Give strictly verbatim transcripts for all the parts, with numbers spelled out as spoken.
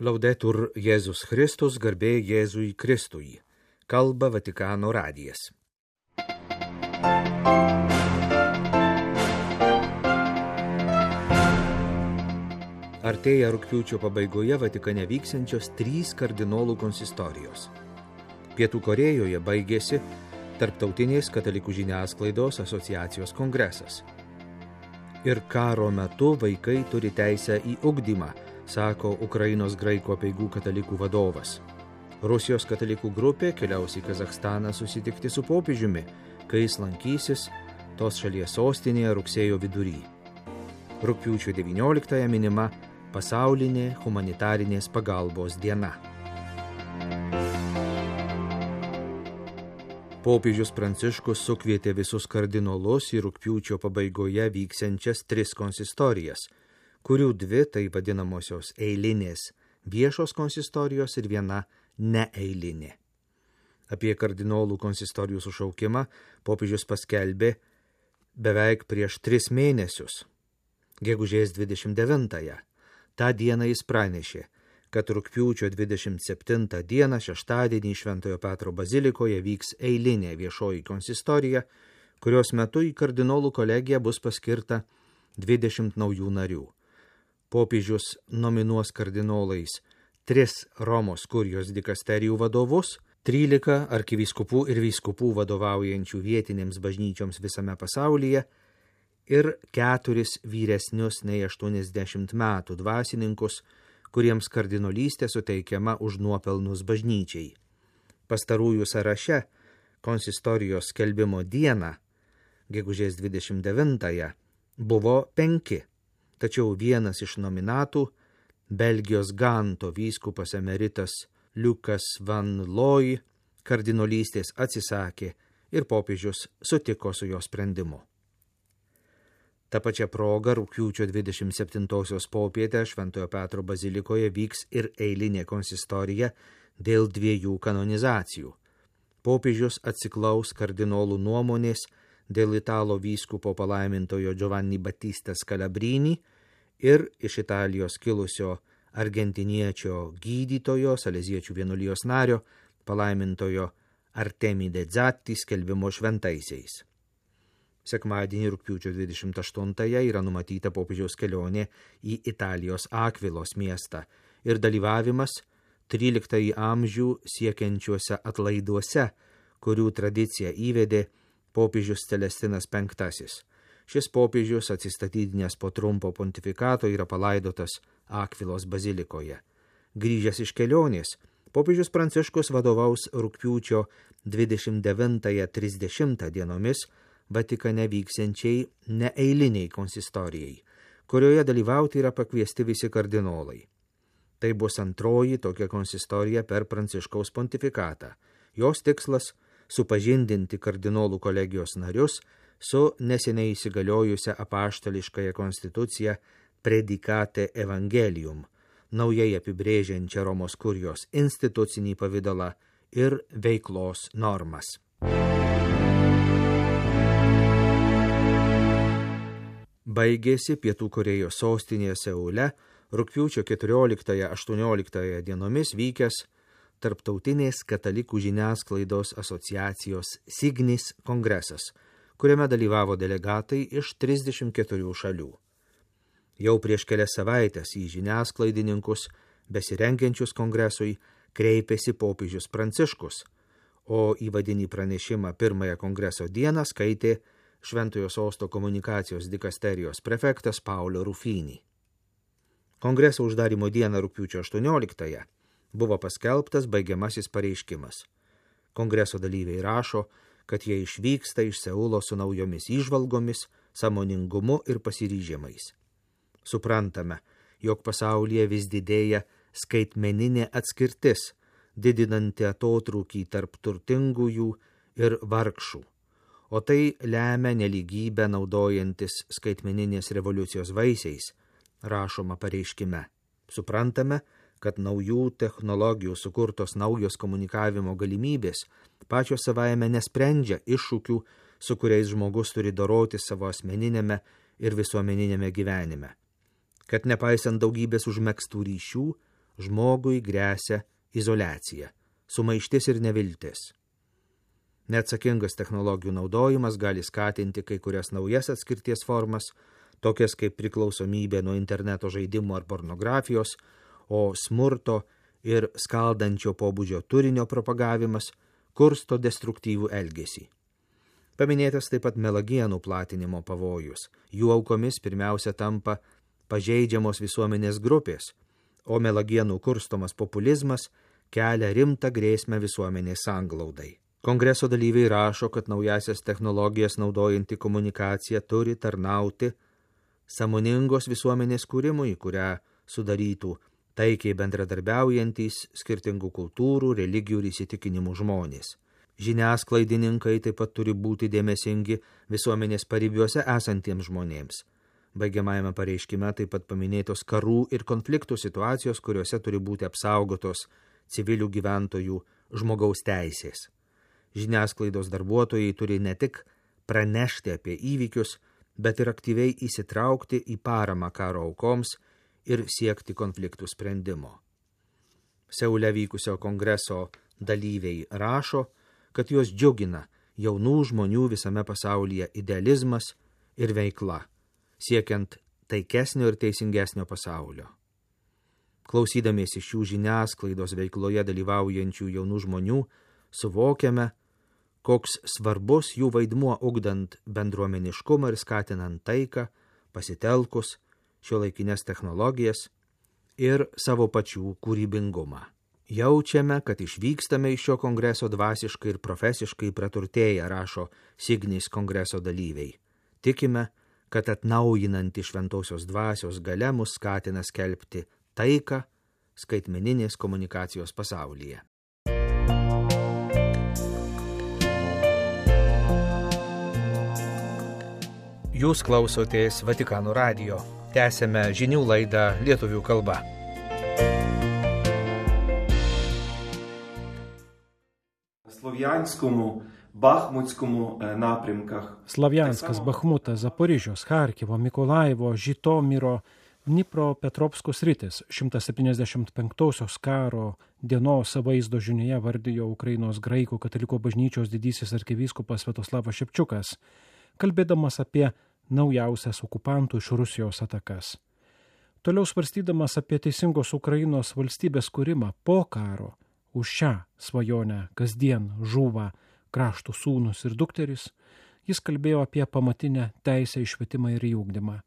Laudetur Jėzus Kristus, garbė Jėzui Kristui. Kalba Vatikano radijas. Artėja rugpjūčio pabaigoje Vatikane vyksiančios trys kardinolų konsistorijos. Pietų Korėjoje baigėsi Tarptautinės katalikų žiniasklaidos asociacijos kongresas. Ir karo metu vaikai turi teisę į ugdymą, sako Ukrainos graikų apeigų katalikų vadovas. Rusijos katalikų grupė keliaus į Kazachstaną susitikti su popiežiumi, kai jis lankysis tos šalies sostinėje rugsėjo vidury. Rugpjūčio devynioliktąją minima pasaulinė humanitarinės pagalbos diena. Popiežius Pranciškus sukvietė visus kardinolus į rugpjūčio pabaigoje vyksiančias tris konsistorijas, kurių dvi tai vadinamosios eilinės viešos konsistorijos ir viena neeilinė. Apie kardinolų konsistorijų sušaukimą popiežius paskelbė beveik prieš tris mėnesius, gegužės dvidešimt devintąją. Ta dieną jis pranešė, kad rugpjūčio dvidešimt septintą dieną šeštadienį Šventojo Petro bazilikoje vyks eilinė viešoji konsistorija, kurios metu į kardinolų kolegiją bus paskirta dvidešimt naujų narių. Popiežius nominuos kardinolais tris Romos kurijos dikasterijų vadovus, trylika arkivyskupų ir vyskupų vadovaujančių vietinėms bažnyčioms visame pasaulyje ir keturis vyresnius nei aštuoniasdešimt metų dvasininkus, kuriems kardinolystė suteikiama už nuopelnus bažnyčiai. Pastarųjų sąraše konsistorijos skelbimo dieną, gegužės dvidešimt devintąją, buvo penki. Tačiau vienas iš nominatų, Belgijos Ganto vyskupas emeritas Liukas van Looy, kardinolystės atsisakė ir popiežius sutiko su jo sprendimu. Ta pačia proga rugpjūčio dvidešimt septintosios popietę Šventojo Petro bazilikoje vyks ir eilinė konsistorija dėl dviejų kanonizacijų. Popiežius atsiklaus kardinolų nuomonės dėl italo vyskupo palaimintojo Giovanni Battista Scalabrini ir iš Italijos kilusio argentiniečio gydytojo, saleziečių vienuolijos nario, palaimintojo Artemide Zatti skelbimo šventaisiais. Sekmadienį rugpjūčio dvidešimt aštuntąją yra numatyta popiežiaus kelionė į Italijos Akvilos miestą ir dalyvavimas tryliktąjį amžių siekiančiuose atlaiduose, kurių tradiciją įvedė popiežius Celestinas penktasis. Šis popiežius atsistatydinęs po trumpo pontifikato yra palaidotas Akvilos bazilikoje. Grįžęs iš kelionės, popiežius Pranciškus vadovaus rugpjūčio dvidešimt devintąją trisdešimtą dienomis Vatikane vyksiančiai neeiliniai konsistorijai, kurioje dalyvauti yra pakviesti visi kardinolai. Tai bus antroji tokia konsistorija per Pranciškaus pontifikatą. Jos tikslas – supažindinti kardinolų kolegijos narius su neseniai įsigaliojusią apaštališkąją konstituciją Predicate Evangelium, naujai apibrėžiančią Romos kurijos institucinį pavidalą ir veiklos normas. Baigėsi Pietų Korėjos sostinėje Seule rugpjūčio keturioliktąją aštuonioliktąją dienomis vykęs Tarptautinės katalikų žiniasklaidos asociacijos Signis kongresas, kuriame dalyvavo delegatai iš trisdešimt keturių šalių. Jau prieš kelias savaitės į žiniasklaidininkus, besirengiančius kongresui, kreipėsi popiežius Pranciškus, o įvadinį pranešimą pirmąją kongreso dieną skaitė Šventojo sosto komunikacijos dikasterijos prefektas Paolo Rufini. Kongreso uždarymo dieną rugpjūčio aštuonioliktąją buvo paskelbtas baigiamasis pareiškimas. Kongreso dalyviai rašo, kad jie išvyksta iš Seulo su naujomis įžvalgomis, sąmoningumu ir pasiryžimais. Suprantame, jog pasaulyje vis didėja skaitmeninė atskirtis, didinanti atotrūkį tarp turtingųjų ir vargšų, o tai lemia nelygybę naudojantis skaitmeninės revoliucijos vaisiais, rašoma pareiškime. Suprantame, kad naujų technologijų sukurtos naujos komunikavimo galimybės pačios savaime nesprendžia iššūkių, su kuriais žmogus turi doroti savo asmeninėme ir visuomeninėme gyvenime. Kad nepaisant daugybės užmegztų ryšių, žmogui gresia izoliacija, sumaištis ir neviltis. Neatsakingas technologijų naudojimas gali skatinti kai kurias naujas atskirties formas, tokias kaip priklausomybė nuo interneto žaidimų ar pornografijos, o smurto ir skaldančio pobūdžio turinio propagavimas kursto destruktyvų elgesį. Paminėtas taip pat melagienų platinimo pavojus. Jų aukomis pirmiausia tampa pažeidžiamos visuomenės grupės, o melagienų kurstomas populizmas kelia rimtą grėsmę visuomenės sanglaudai. Kongreso dalyviai rašo, kad naujasias technologijas naudojanti komunikacija turi tarnauti sąmoningos visuomenės kūrimui, kurią sudarytų taikiai bendradarbiaujantys skirtingų kultūrų, religijų ir įsitikinimų žmonės. Žiniasklaidininkai taip pat turi būti dėmesingi visuomenės paribiuose esantiems žmonėms. Baigiamajame pareiškime taip pat paminėtos karų ir konfliktų situacijos, kuriuose turi būti apsaugotos civilių gyventojų žmogaus teisės. Žiniasklaidos darbuotojai turi ne tik pranešti apie įvykius, bet ir aktyviai įsitraukti į paramą karo aukoms ir siekti konfliktų sprendimo. Seule vykusio kongreso dalyviai rašo, kad juos džiugina jaunų žmonių visame pasaulyje idealizmas ir veikla, siekiant taikesnio ir teisingesnio pasaulio. Klausydamiesi šių žiniasklaidos veikloje dalyvaujančių jaunų žmonių, suvokiame, koks svarbus jų vaidmuo ugdant bendruomeniškumą ir skatinant taiką, pasitelkus šiuolaikinės technologijas ir savo pačių kūrybingumą. Jaučiame, kad išvykstame iš šio kongreso dvasiškai ir profesiškai praturtėję, rašo Signis kongreso dalyviai. Tikime, kad atnaujinanti šventosios dvasios galia mus skatina skelbti taiką skaitmeninės komunikacijos pasaulyje. Jūs klausotės Vatikano radijo. Tęsėme žinių laidą lietuvių kalba. Слов'янському, Бахмутському напрямках. Слов'янська, Бахмута, Запоріжжя, Харкова, Миколаєво, Житомиро, Dnipropetrovsko sritis šimtas septyniasdešimt penktosios karo dienos vaizdo žinioje vardijo Ukrainos graikų katalikų bažnyčios didysis arkivyskupas Sviatoslavas Šepčiukas, kalbėdamas apie naujausias okupantų iš Rusijos atakas. Toliau svarstydamas apie teisingos Ukrainos valstybės kūrimą po karo, už šią svajonę kasdien žūva krašto sūnus ir dukteris, jis kalbėjo apie pamatinę teisę į švietimą ir į ugdymą.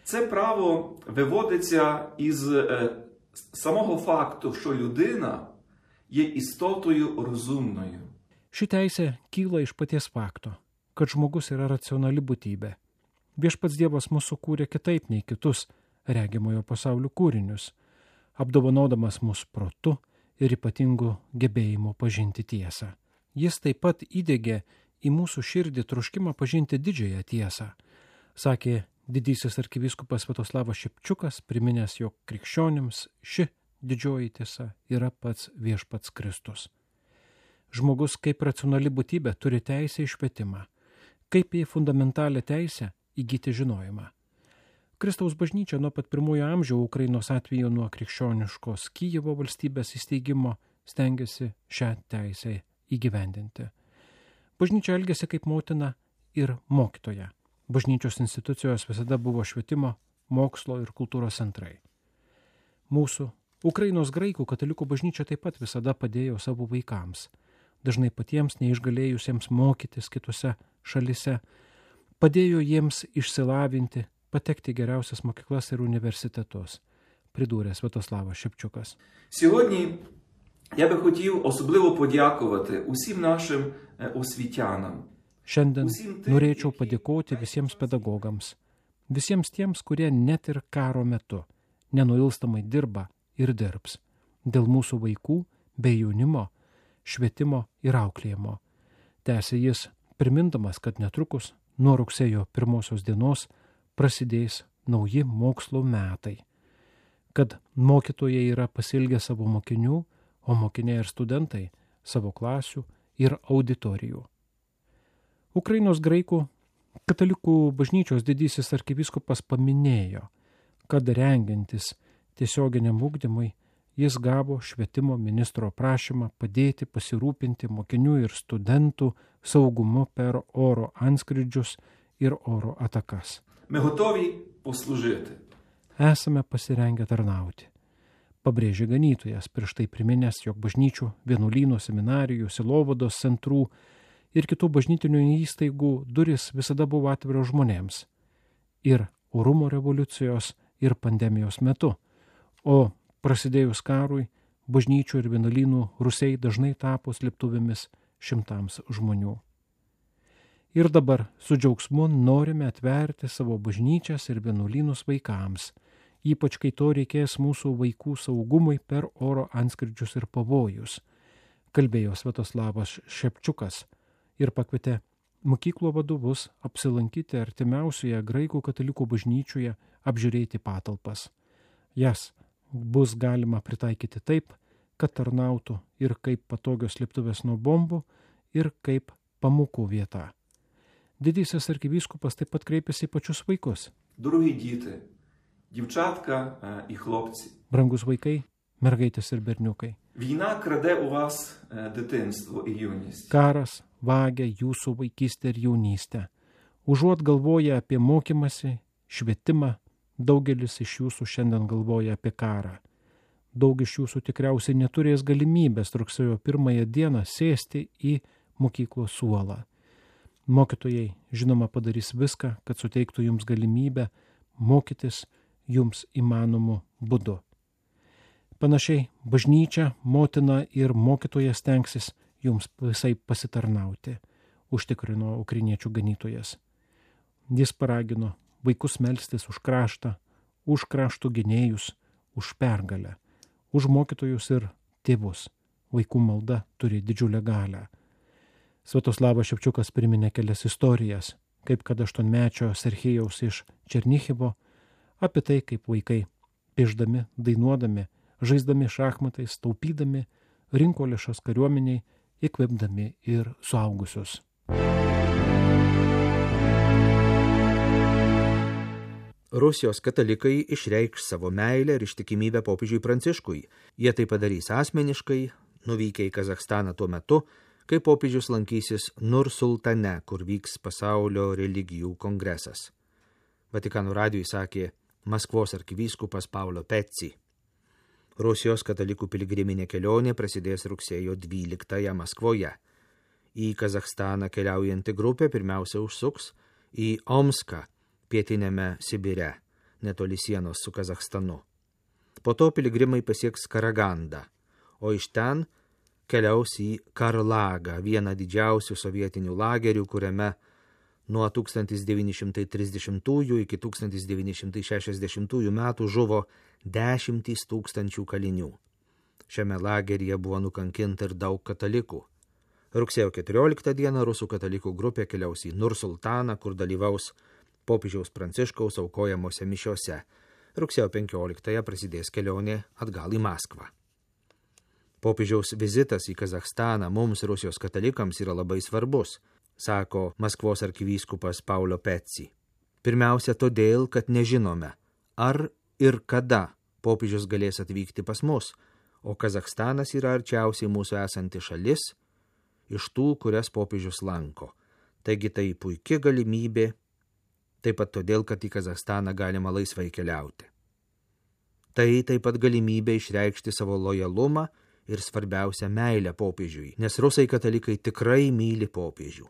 Це право виводиться із е, самого факту, що людина є істотою розумною. Ši teisė kyla iš paties fakto, kad žmogus yra racionali būtybė. Viešpats Dievas mus sukūrė kitaip nei kitus regimojo pasaulio kūrinius, apdovanodamas mus protu ir ypatingu gebėjimu pažinti tiesą. Jis taip pat įdegė į mūsų širdį troškimą pažinti didžiąją tiesą, sakė didysis arkivyskupas Sviatoslavas Šepčiukas, priminęs, jog krikščionims ši didžioji tiesa yra pats viešpats Kristus. Žmogus kaip racionali būtybė turi teisę į švietimą, kaip į fundamentalią teisę įgyti žinojimą. Kristaus bažnyčia nuo pat pirmųjų amžių Ukrainos atveju nuo krikščioniškos Kijevo valstybės įsteigimo stengiasi šią teisę įgyvendinti. Bažnyčia elgėsi kaip motina ir mokytoja. Bažnyčios institucijos visada buvo švietimo, mokslo ir kultūros centrai. Mūsų Ukrainos graikų katalikų bažnyčia taip pat visada padėjo savo vaikams, dažnai patiems neišgalėjusiems mokytis kitose šalise, padėjo jiems išsilavinti, patekti geriausias mokyklas ir universitetus, придуря Святослава Шепчукас. Сьогодні я би хотів особливо подякувати усім нашим освітянам. Šiandien norėčiau padėkoti visiems pedagogams, visiems tiems, kurie net ir karo metu nenuilstamai dirba ir dirbs dėl mūsų vaikų bei jaunimo, švietimo ir auklėjimo. Tęsė jis, primindamas, kad netrukus nuo rugsėjo pirmosios dienos prasidės nauji mokslo metai, kad mokytojai yra pasilgę savo mokinių, o mokiniai ir studentai savo klasių ir auditorijų. Ukrainos graikų katalikų bažnyčios didysis arkivyskupas paminėjo, kad rengiantis tiesioginiam ugdymui jis gavo švietimo ministro prašymą padėti pasirūpinti mokinių ir studentų saugumu per oro antskrydžius ir oro atakas. Ми готові послужити. Esame pasirengę tarnauti. Pabrėžė ganytojas, prieš tai priminęs, jog bažnyčių, vienuolynų, seminarijų, sielovados centrų ir kitų bažnytinių įstaigų duris visada buvo atviros žmonėms. Ir orumo revoliucijos, ir pandemijos metu. O prasidėjus karui, bažnyčių ir vienuolynų rūsiai dažnai tapo slėptuvėmis šimtams žmonių. Ir dabar su džiaugsmu norime atverti savo bažnyčias ir vienuolynus vaikams, ypač kai to reikės mūsų vaikų saugumui per oro antskrydžius ir pavojus, kalbėjo Sviatoslavas Šepčiukas ir pakvietė mokyklų vadovus apsilankyti artimiausioje graikų katalikų bažnyčioje, apžiūrėti patalpas. Jas bus galima pritaikyti taip, kad tarnautų ir kaip patogios slėptuvės nuo bombų, ir kaip pamokų vieta. Didysis arkivyskupas taip pat kreipėsi į pačius vaikus. Дорогі діти, дівчатка е, і хлопці, Brangus vaikai, mergaitės ir berniukai. війна краде у вас е, дитинство і юність. Karas vagia jūsų vaikystę ir jaunystę. Užuot galvoję apie mokymąsi, švietimą, daugelis iš jūsų šiandien galvoja apie karą. Daug iš jūsų tikriausiai neturės galimybės rugsėjo pirmąją dieną sėsti į mokyklos suolą. Mokytojai, žinoma, padarys viską, kad suteiktų jums galimybę mokytis jums įmanomu būdu. Panašiai, bažnyčia, motina ir mokytojas stengsis jums visai pasitarnauti, užtikrino ukrainiečių ganytojas. Jis paragino vaikus melstis už kraštą, už kraštų gynėjus, už pergalę, už mokytojus ir tėvus. Vaikų malda turi didžiulę galią. Sviatoslavas Šepčiukas priminė kelias istorijas, kaip kad aštuonmečio Serhijaus iš Černichivo, apie tai, kaip vaikai, piešdami, dainuodami, žaisdami šachmatais, taupydami, rinko lėšas kariuomeniai, įkvėpdami ir suaugusius. Rusijos katalikai išreikš savo meilę ir ištikimybę popiežiui Pranciškui. Jie tai padarys asmeniškai, nuvykę į Kazachstaną tuo metu, kai popiežius lankysis Nur-Sultane, kur vyks pasaulio religijų kongresas. Vatikano radijui sakė Maskvos arkivyskupas Paulo Pezzi. Rusijos katalikų piligriminė kelionė prasidės rugsėjo dvyliktąją Maskvoje. Į Kazachstaną keliaujanti grupė pirmiausia užsuks į Omską, pietiniame Sibire, netoli sienos su Kazachstanu. Po to piligrimai pasieks Karagandą, o iš ten keliaus į Karlagą, vieną didžiausių sovietinių lagerių, kuriame nuo tūkstantis devyni šimtai trisdešimtųjų iki tūkstantis devyni šimtai šešiasdešimtųjų metų žuvo dešimtys tūkstančių kalinių. Šiame lageryje buvo nukankinta ir daug katalikų. Rugsėjo keturioliktą dieną rusų katalikų grupė keliaus į Nur-Sultaną, kur dalyvaus popiežiaus Pranciškaus aukojamose mišiose. Rugsėjo penkioliktąją prasidės kelionė atgal į Maskvą. Popiežiaus vizitas į Kazachstaną mums Rusijos katalikams yra labai svarbus, sako Maskvos arkivyskupas Paulo Pezzi. Pirmiausia todėl, kad nežinome, ar ir kada popiežius galės atvykti pas mus, o Kazachstanas yra arčiausiai mūsų esanti šalis iš tų, kurias popiežius lanko. Taigi tai puikia galimybė, taip pat todėl, kad į Kazachstaną galima laisvai keliauti. Tai taip pat galimybė išreikšti savo lojalumą ir svarbiausia meilę popiežiui, nes rusai katalikai tikrai myli popiežių.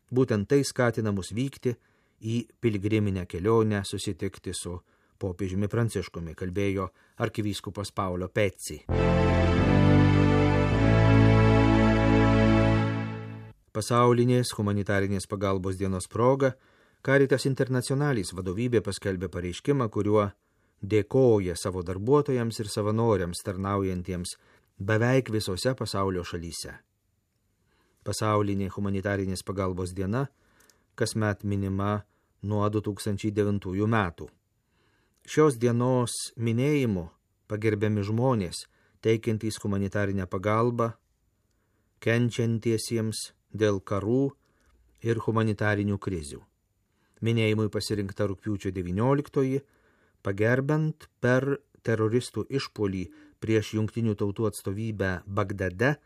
Būtent tai skatina mus vykti į piligriminę kelionę susitikti su popiežiumi Pranciškumi, kalbėjo arkivyskupas Paulo Pezzi. Pasaulinės humanitarinės pagalbos dienos proga Caritas Internationalis vadovybė paskelbė pareiškimą, kuriuo dėkoja savo darbuotojams ir savanoriams tarnaujantiems beveik visose pasaulio šalyse. Pasaulinė humanitarinės pagalbos diena kasmet minima nuo du tūkstančiai devintųjų metų. Šios dienos minėjimu pagerbiami žmonės, teikiantys humanitarinę pagalbą, kenčiantiesiems dėl karų ir humanitarinių krizių. Minėjimui pasirinkta rugpjūčio devynioliktoji, pagerbent per teroristų išpuolį prieš Jungtinių tautų atstovybę Bagdade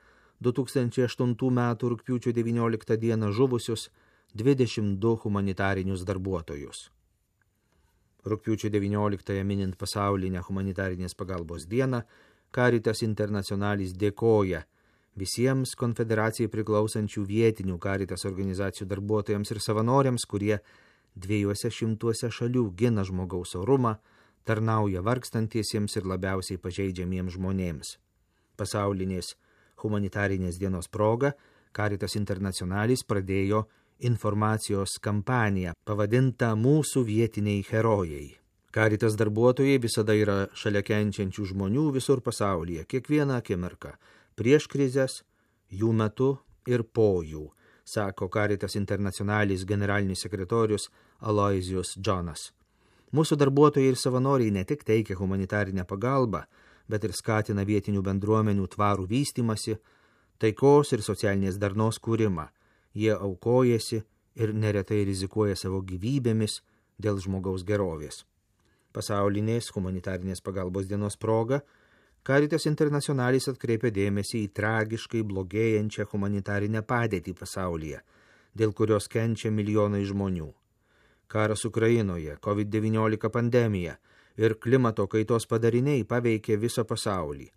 du tūkstančiai aštuntų metų rugpjūčio devynioliktą dieną žuvusius dvidešimt du humanitarinius darbuotojus. Rugpjūčio devynioliktąją minint pasaulinę humanitarinės pagalbos dieną, Caritas Internationalis dėkoja visiems konfederacijai priklausančių vietinių Caritas organizacijų darbuotojams ir savanoriams, kurie dviejose šimtuose šalių gina žmogaus orumą, tarnauja vargstantiesiems ir labiausiai pažeidžiamiems žmonėms. Pasaulinės humanitarinės dienos proga Caritas Internationalis pradėjo informacijos kampaniją pavadintą Mūsų vietiniai herojai. Caritas darbuotojai visada yra šalia kenčiančių žmonių visur pasaulyje, kiekvieną akimirką, prieš krizes, jų metu ir po jų, sako Caritas Internationalis generalinis sekretorius Aloysius Jonas. Mūsų darbuotojai ir savanoriai ne tik teikia humanitarinę pagalbą, bet ir skatina vietinių bendruomenių tvarų vystymasi, taikos ir socialinės darnos kūrimą. Jie aukojasi ir neretai rizikuoja savo gyvybėmis dėl žmogaus gerovės. Pasaulinės humanitarinės pagalbos dienos proga Caritas Internationalis atkreipia dėmesį į tragiškai blogėjančią humanitarinę padėtį pasaulyje, dėl kurios kenčia milijonai žmonių. Karas Ukrainoje, COVID devyniolika pandemija ir klimato kaitos padariniai paveikė visą pasaulį.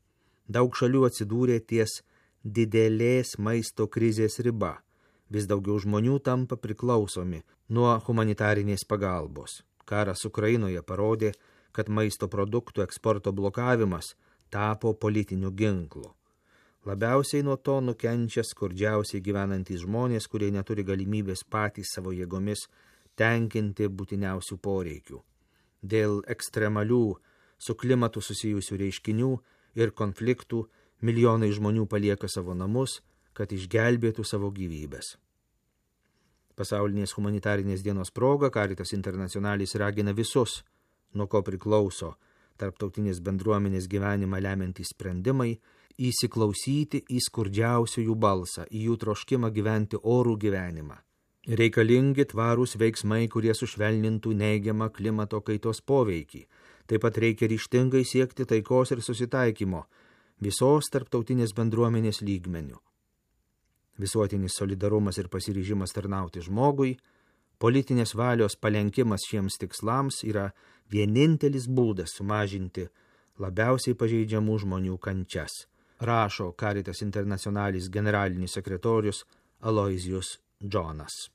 Daug šalių atsidūrė ties didelės maisto krizės riba. Vis daugiau žmonių tampa priklausomi nuo humanitarinės pagalbos. Karas Ukrainoje parodė, kad maisto produktų eksporto blokavimas tapo politiniu ginklu. Labiausiai nuo to nukenčia skurdžiausiai gyvenantys žmonės, kurie neturi galimybės patys savo jėgomis tenkinti būtiniausių poreikių. Dėl ekstremalių su klimatu susijusių reiškinių ir konfliktų milijonai žmonių palieka savo namus, kad išgelbėtų savo gyvybės. Pasaulinės humanitarinės dienos proga Caritas Internationalis ragina visus, nuo ko priklauso tarptautinės bendruomenės gyvenimą lemiantys sprendimai, įsiklausyti į skurdžiausiųjų balsą, į jų troškimą gyventi orų gyvenimą. Reikalingi tvarūs veiksmai, kurie sušvelnintų neigiamą klimato kaitos poveikį. Taip pat reikia ryžtingai siekti taikos ir susitaikymo visos tarptautinės bendruomenės lygmenių. Visuotinis solidarumas ir pasiryžimas tarnauti žmogui, politinės valios palenkimas šiems tikslams yra vienintelis būdas sumažinti labiausiai pažeidžiamų žmonių kančias, rašo Caritas Internationalis generalinis sekretorius Aloysius Jonas.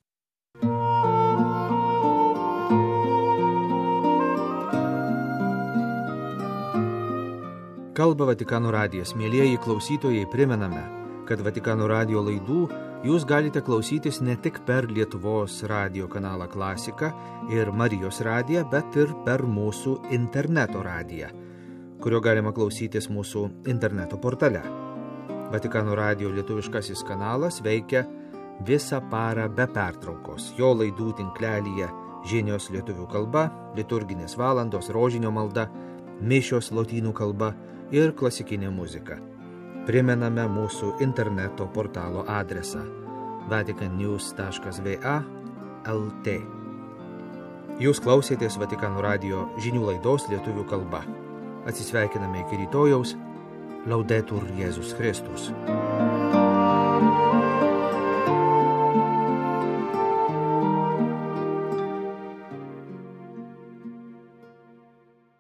Kalba Vatikano radijas. Mielieji klausytojai, primename, kad Vatikano radijo laidų jūs galite klausytis ne tik per Lietuvos radijo kanalą Klasika ir Marijos radiją, bet ir per mūsų interneto radiją, kurio galima klausytis mūsų interneto portale. Vatikano radijo lietuviškasis kanalas veikia visą parą be pertraukos. Jo laidų tinklelyje žinios lietuvių kalba, liturginės valandos, rožinio malda, mišios lotynų kalba ir klasikinė muzika. Primename mūsų interneto portalo adresą vatican news taškas v a taškas l t. Jūs klausėtės Vatikano radijo žinių laidos lietuvių kalba. Atsisveikiname iki rytojaus. Laudetur Jėzus Kristus.